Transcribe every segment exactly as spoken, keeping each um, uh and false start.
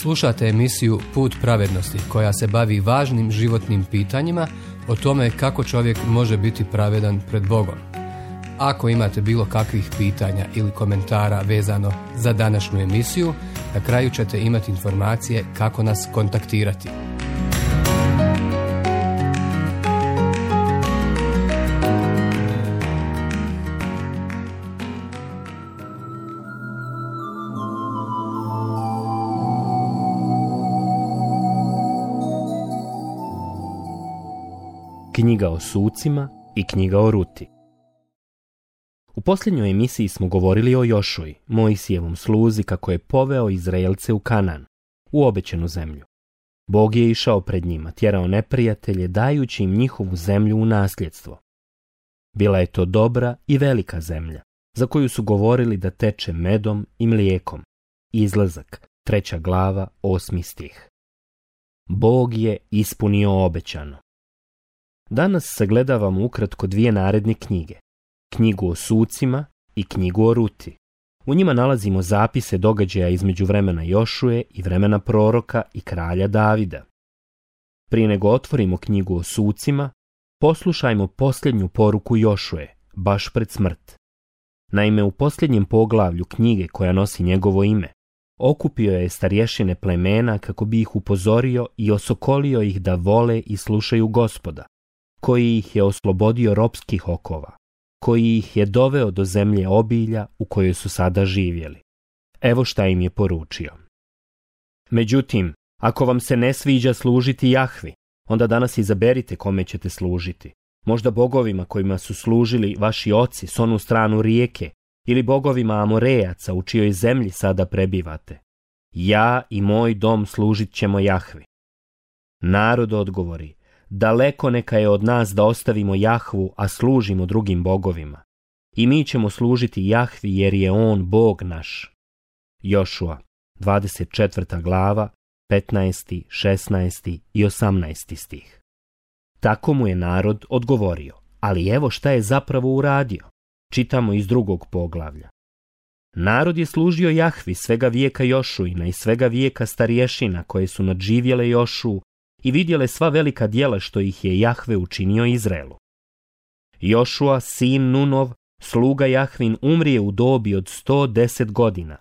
Slušate emisiju Put pravednosti koja se bavi važnim životnim pitanjima o tome kako čovjek može biti pravedan pred Bogom. Ako imate bilo kakvih pitanja ili komentara vezano za današnju emisiju, na kraju ćete imati informacije kako nas kontaktirati. Knjiga o sucima i knjiga o Ruti. U posljednjoj emisiji smo govorili o Jošuji, Mojsijevom sluzi, kako je poveo Izraelce u Kanan, u obećanu zemlju. Bog je išao pred njima, tjerao neprijatelje, dajući im njihovu zemlju u nasljedstvo. Bila je to dobra i velika zemlja, za koju su govorili da teče medom i mlijekom. Izlazak, treća glava, osmi stih. Bog je ispunio obećano. Danas sagledavamo ukratko dvije naredne knjige, knjigu o sucima i knjigu o Ruti. U njima nalazimo zapise događaja između vremena Jošuje i vremena proroka i kralja Davida. Prije nego otvorimo knjigu o sucima, poslušajmo posljednju poruku Jošuje, baš pred smrt. Naime, u posljednjem poglavlju knjige koja nosi njegovo ime, okupio je starješine plemena kako bi ih upozorio i osokolio ih da vole i slušaju Gospoda, koji ih je oslobodio ropskih okova, koji ih je doveo do zemlje obilja u kojoj su sada živjeli. Evo šta im je poručio. Međutim, ako vam se ne sviđa služiti Jahvi, onda danas izaberite kome ćete služiti. Možda bogovima kojima su služili vaši oci s onu stranu rijeke, ili bogovima Amorejaca u čijoj zemlji sada prebivate. Ja i moj dom služit ćemo Jahvi. Narod odgovori, daleko neka je od nas da ostavimo Jahvu, a služimo drugim bogovima. I mi ćemo služiti Jahvi jer je on Bog naš. Jošua, dvadeset četvrta glava, petnaesti, šesnaesti i osamnaesti stih. Tako mu je narod odgovorio, ali evo šta je zapravo uradio. Čitamo iz drugog poglavlja. Narod je služio Jahvi svega vijeka Jošuina i svega vijeka starješina koje su nadživjele Jošu i vidjele sva velika djela što ih je Jahve učinio Izraelu. Jošua, sin Nunov, sluga Jahvin, umrije u dobi od sto deset godina.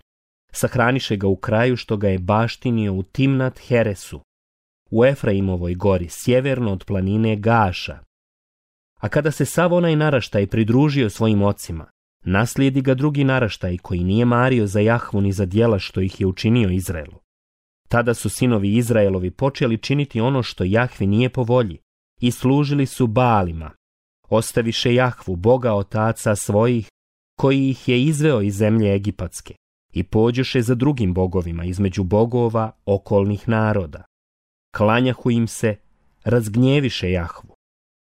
Sahraniše ga u kraju što ga je baštinio u Timnat Heresu, u Efraimovoj gori, sjeverno od planine Gaša. A kada se sav onaj naraštaj pridružio svojim ocima, naslijedi ga drugi naraštaj koji nije mario za Jahvu ni za djela što ih je učinio Izraelu. Tada su sinovi Izraelovi počeli činiti ono što Jahvi nije po volji i služili su Baalima. Ostaviše Jahvu, Boga otaca svojih, koji ih je izveo iz zemlje Egipatske, i pođoše za drugim bogovima između bogova okolnih naroda. Klanjahu im se, razgnjeviše Jahvu.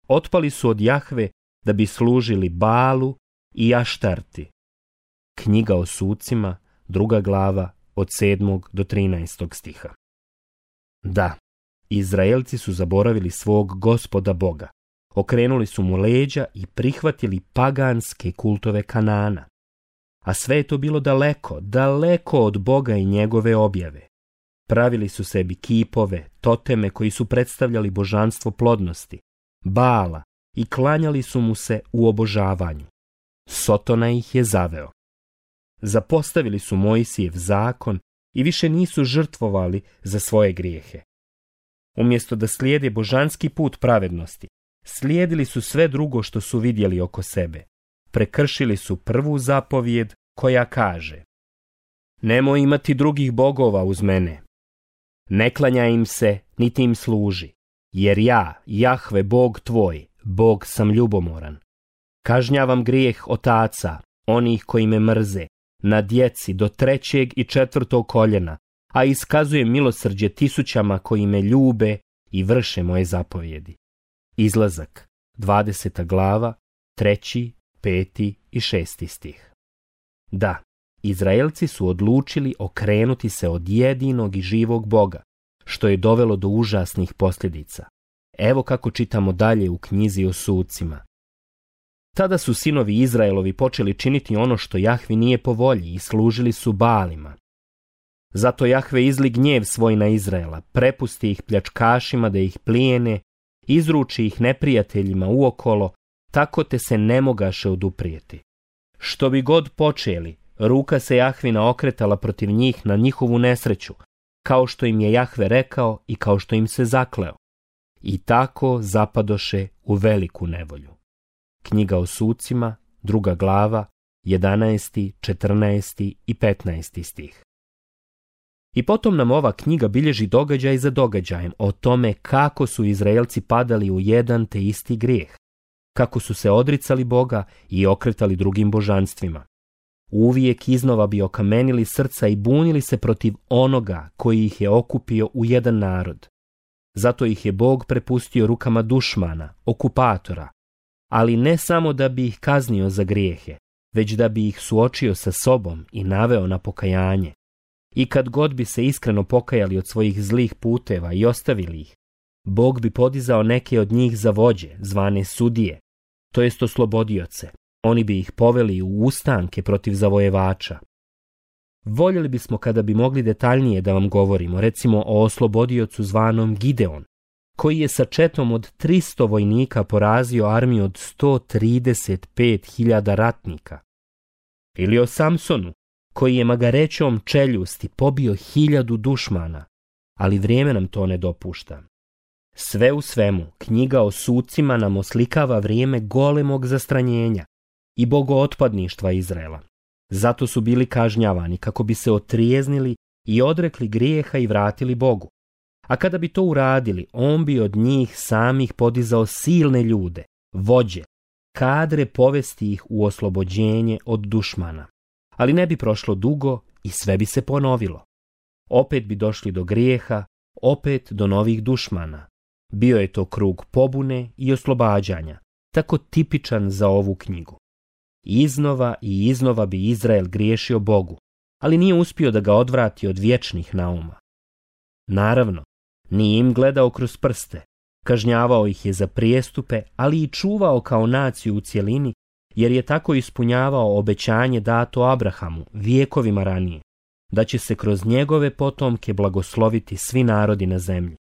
Otpali su od Jahve da bi služili Baalu i Aštarti. Knjiga o sucima, druga glava, od sedmog do trinaestog stiha. Da, Izraelci su zaboravili svog Gospoda Boga, okrenuli su mu leđa i prihvatili paganske kultove Kanana. A sve je to bilo daleko, daleko od Boga i njegove objave. Pravili su sebi kipove, toteme koji su predstavljali božanstvo plodnosti, Baala, i klanjali su mu se u obožavanju. Sotona ih je zaveo. Zapostavili su Mojsijev zakon i više nisu žrtvovali za svoje grijehe. Umjesto da slijede božanski put pravednosti, slijedili su sve drugo što su vidjeli oko sebe. Prekršili su prvu zapovjed koja kaže: nemoj imati drugih bogova uz mene. Ne klanjaj im se, niti im služi, jer ja, Jahve, Bog tvoj, Bog sam ljubomoran. Kažnjavam grijeh otaca, onih koji me mrze, na djeci do trećeg i četvrtog koljena, a iskazujem milosrđe tisućama koji me ljube i vrše moje zapovjedi. Izlazak, dvadeseta glava, treći, peti i šesti stih. Da, Izraelci su odlučili okrenuti se od jedinog i živog Boga, što je dovelo do užasnih posljedica. Evo kako čitamo dalje u knjizi o sucima. Tada su sinovi Izraelovi počeli činiti ono što Jahvi nije po volji i služili su Baalima. Zato Jahve izli gnjev svoj na Izraela, prepusti ih pljačkašima da ih plijene, izruči ih neprijateljima uokolo, tako te se ne mogaše oduprijeti. Što bi god počeli, ruka se Jahvina okretala protiv njih na njihovu nesreću, kao što im je Jahve rekao i kao što im se zakleo. I tako zapadoše u veliku nevolju. Knjiga o sucima, druga glava, jedanaesti, četrnaesti i petnaesti stih. I potom nam ova knjiga bilježi događaj za događajem o tome kako su Izraelci padali u jedan te isti grijeh, kako su se odricali Boga i okretali drugim božanstvima. Uvijek iznova bi okamenili srca i bunili se protiv onoga koji ih je okupio u jedan narod. Zato ih je Bog prepustio rukama dušmana, okupatora, ali ne samo da bi ih kaznio za grijehe, već da bi ih suočio sa sobom i naveo na pokajanje. I kad god bi se iskreno pokajali od svojih zlih puteva i ostavili ih, Bog bi podizao neke od njih za vođe, zvane sudije, to jest oslobodioce. Oni bi ih poveli u ustanke protiv zavojevača. Voljeli bismo kada bi mogli detaljnije da vam govorimo, recimo o oslobodiocu zvanom Gideon, koji je sa četom od tristo vojnika porazio armiju od sto trideset pet hiljada ratnika. Ili o Samsonu, koji je magarećom čeljusti pobio hiljadu dušmana, ali vrijeme nam to ne dopušta. Sve u svemu, knjiga o sucima nam oslikava vrijeme golemog zastranjenja i bogootpadništva Izraela. Zato su bili kažnjavani kako bi se otrijeznili i odrekli grijeha i vratili Bogu. A kada bi to uradili, on bi od njih samih podizao silne ljude, vođe, kadre povesti ih u oslobođenje od dušmana. Ali ne bi prošlo dugo i sve bi se ponovilo. Opet bi došli do grijeha, opet do novih dušmana. Bio je to krug pobune i oslobađanja, tako tipičan za ovu knjigu. Iznova i iznova bi Izrael griješio Bogu, ali nije uspio da ga odvrati od vječnih nauma. Naravno, nije im gledao kroz prste, kažnjavao ih je za prijestupe, ali i čuvao kao naciju u cjelini, jer je tako ispunjavao obećanje dato Abrahamu vijekovima ranije, da će se kroz njegove potomke blagosloviti svi narodi na zemlji.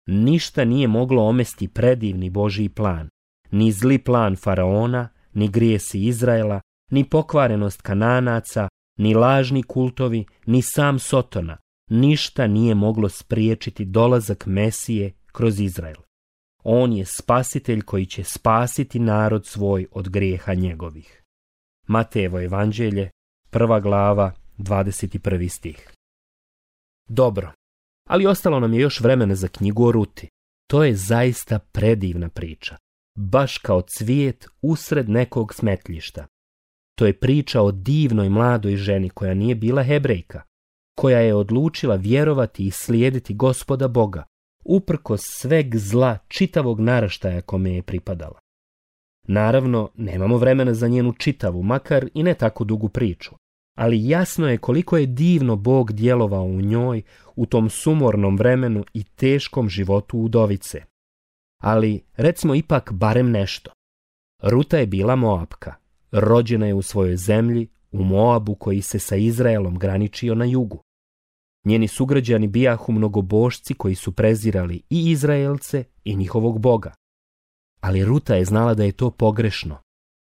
Ništa nije moglo omesti predivni Božji plan, ni zli plan faraona, ni grijesi Izraela, ni pokvarenost Kananaca, ni lažni kultovi, ni sam Sotona. Ništa nije moglo spriječiti dolazak Mesije kroz Izrael. On je spasitelj koji će spasiti narod svoj od grijeha njegovih. Matejevo evanđelje, prva glava, dvadeset prvi stih. Dobro, ali ostalo nam je još vremena za knjigu o Ruti. To je zaista predivna priča, baš kao cvijet usred nekog smetljišta. To je priča o divnoj mladoj ženi koja nije bila Hebrejka, koja je odlučila vjerovati i slijediti Gospoda Boga, uprkos sveg zla čitavog naraštaja kome je pripadala. Naravno, nemamo vremena za njenu čitavu, makar i ne tako dugu priču, ali jasno je koliko je divno Bog djelovao u njoj u tom sumornom vremenu i teškom životu udovice. Ali, recimo ipak barem nešto. Ruta je bila Moapka, rođena je u svojoj zemlji, u Moabu koji se sa Izraelom graničio na jugu. Njeni sugrađani bijahu mnogobošci koji su prezirali i Izraelce i njihovog Boga. Ali Ruta je znala da je to pogrešno.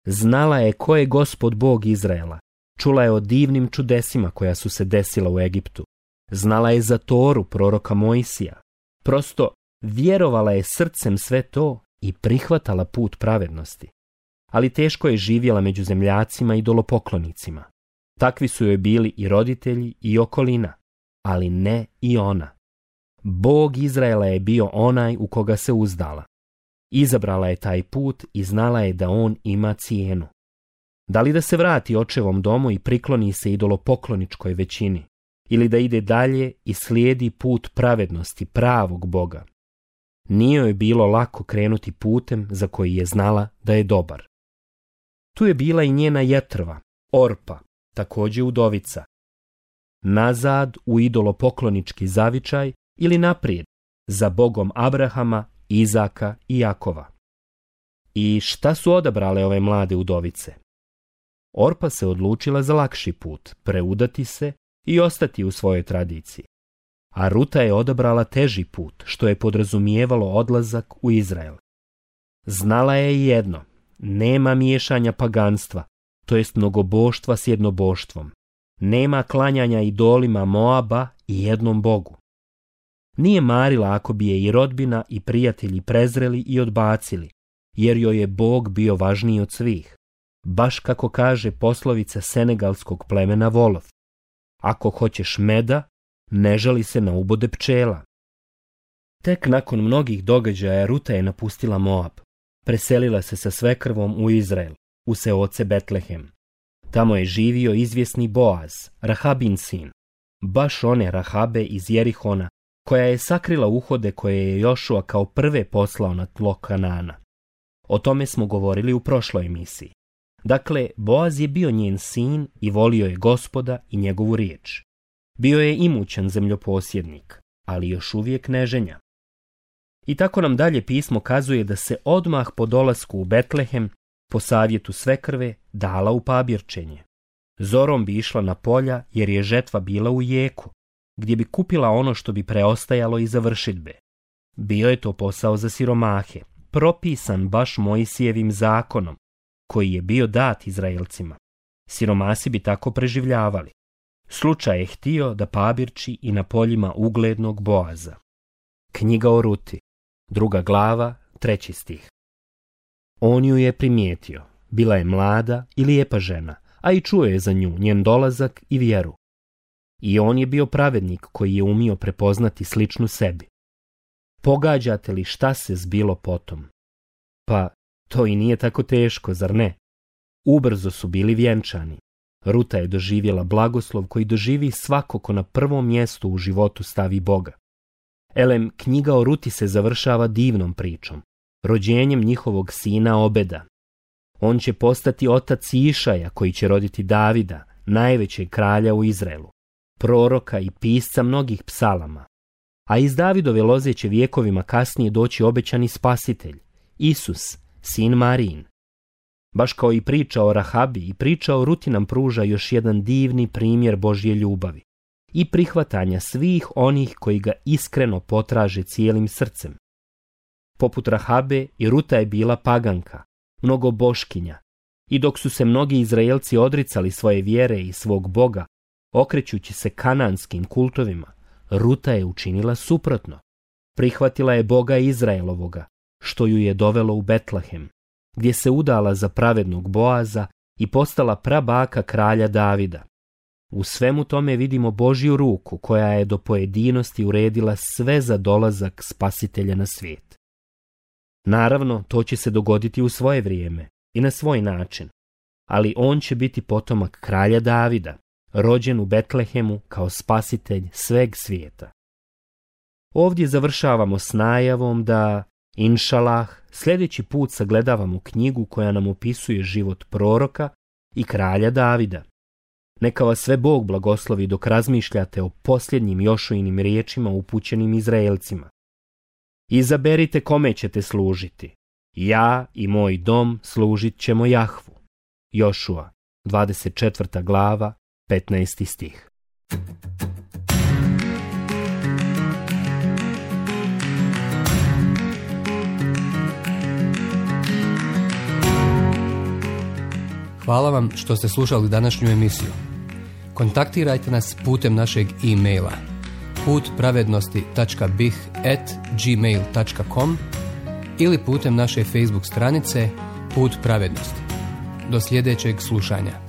Znala je ko je Gospod Bog Izraela. Čula je o divnim čudesima koja su se desila u Egiptu. Znala je za Toru proroka Mojsija. Prosto vjerovala je srcem sve to i prihvatala put pravednosti. Ali teško je živjela među zemljacima i idolopoklonicima. Takvi su joj bili i roditelji i okolina, ali ne i ona. Bog Izraela je bio onaj u koga se uzdala. Izabrala je taj put i znala je da on ima cijenu. Da li da se vrati očevom domu i prikloni se idolopokloničkoj većini, ili da ide dalje i slijedi put pravednosti pravog Boga? Nije joj bilo lako krenuti putem za koji je znala da je dobar. Tu je bila i njena jetrva, Orpa, također udovica. Nazad u idolopoklonički zavičaj ili naprijed, za Bogom Abrahama, Izaka i Jakova. I šta su odabrale ove mlade udovice? Orpa se odlučila za lakši put, preudati se i ostati u svojoj tradiciji. A Ruta je odabrala teži put, što je podrazumijevalo odlazak u Izrael. Znala je jedno, nema miješanja paganstva, to jest mnogoboštva s jednoboštvom. Nema klanjanja idolima Moaba i jednom Bogu. Nije marila ako bi je i rodbina i prijatelji prezreli i odbacili, jer joj je Bog bio važniji od svih. Baš kako kaže poslovica senegalskog plemena Volov. Ako hoćeš meda, ne žali se na ubode pčela. Tek nakon mnogih događaja Ruta je napustila Moab. Preselila se sa svekrvom u Izrael, u seoce Betlehem. Tamo je živio izvjesni Boaz, Rahabin sin, baš one Rahabe iz Jerihona, koja je sakrila uhode koje je Jošua kao prve poslao na tlo Kanana. O tome smo govorili u prošloj emisiji. Dakle, Boaz je bio njen sin i volio je Gospoda i njegovu riječ. Bio je imućan zemljoposjednik, ali još uvijek neženja. I tako nam dalje pismo kazuje da se odmah po dolasku u Betlehem, po savjetu svekrve, dala u pabirčenje. Zorom bi išla na polja jer je žetva bila u jeku, gdje bi kupila ono što bi preostajalo iza vršidbe. Bio je to posao za siromahe, propisan baš Mojsijevim zakonom, koji je bio dat Izraelcima. Siromasi bi tako preživljavali. Slučaj je htio da pabirči i na poljima uglednog Boaza. Knjiga o Ruti, druga glava, treći stih. On ju je primijetio. Bila je mlada i lijepa žena, a i čuo je za nju njen dolazak i vjeru. I on je bio pravednik koji je umio prepoznati sličnu sebi. Pogađate li šta se zbilo potom? Pa, to i nije tako teško, zar ne? Ubrzo su bili vjenčani. Ruta je doživjela blagoslov koji doživi svako ko na prvom mjestu u životu stavi Boga. Elem, knjiga o Ruti se završava divnom pričom, rođenjem njihovog sina Obeda. On će postati otac Išaja koji će roditi Davida, najvećeg kralja u Izraelu, proroka i pisca mnogih psalama. A iz Davidove loze će vjekovima kasnije doći obećani spasitelj, Isus, sin Marijin. Baš kao i priča o Rahabi i priča o Ruti nam pruža još jedan divni primjer Božje ljubavi i prihvatanja svih onih koji ga iskreno potraže cijelim srcem. Poput Rahabe i Ruta je bila paganka, mnogoboškinja, i dok su se mnogi Izraelci odricali svoje vjere i svog Boga, okrećući se kananskim kultovima, Ruta je učinila suprotno. Prihvatila je Boga Izraelovoga, što ju je dovelo u Betlehem, gdje se udala za pravednog Boaza i postala prabaka kralja Davida. U svemu tome vidimo Božju ruku koja je do pojedinosti uredila sve za dolazak spasitelja na svijet. Naravno, to će se dogoditi u svoje vrijeme i na svoj način, ali on će biti potomak kralja Davida, rođen u Betlehemu kao spasitelj sveg svijeta. Ovdje završavamo s najavom da, inšalah, sljedeći put sagledavamo knjigu koja nam opisuje život proroka i kralja Davida. Neka vas sve Bog blagoslovi dok razmišljate o posljednjim Jošuinim riječima upućenim Izraelcima. Izaberite kome ćete služiti. Ja i moj dom služit ćemo Jahvu. Jošua, dvadeset četvrta glava, petnaesti stih. Hvala vam što ste slušali današnju emisiju. Kontaktirajte nas putem našeg e-maila putpravednosti tačka bih at gmail tačka com ili putem naše Facebook stranice Put pravednosti. Do sljedećeg slušanja.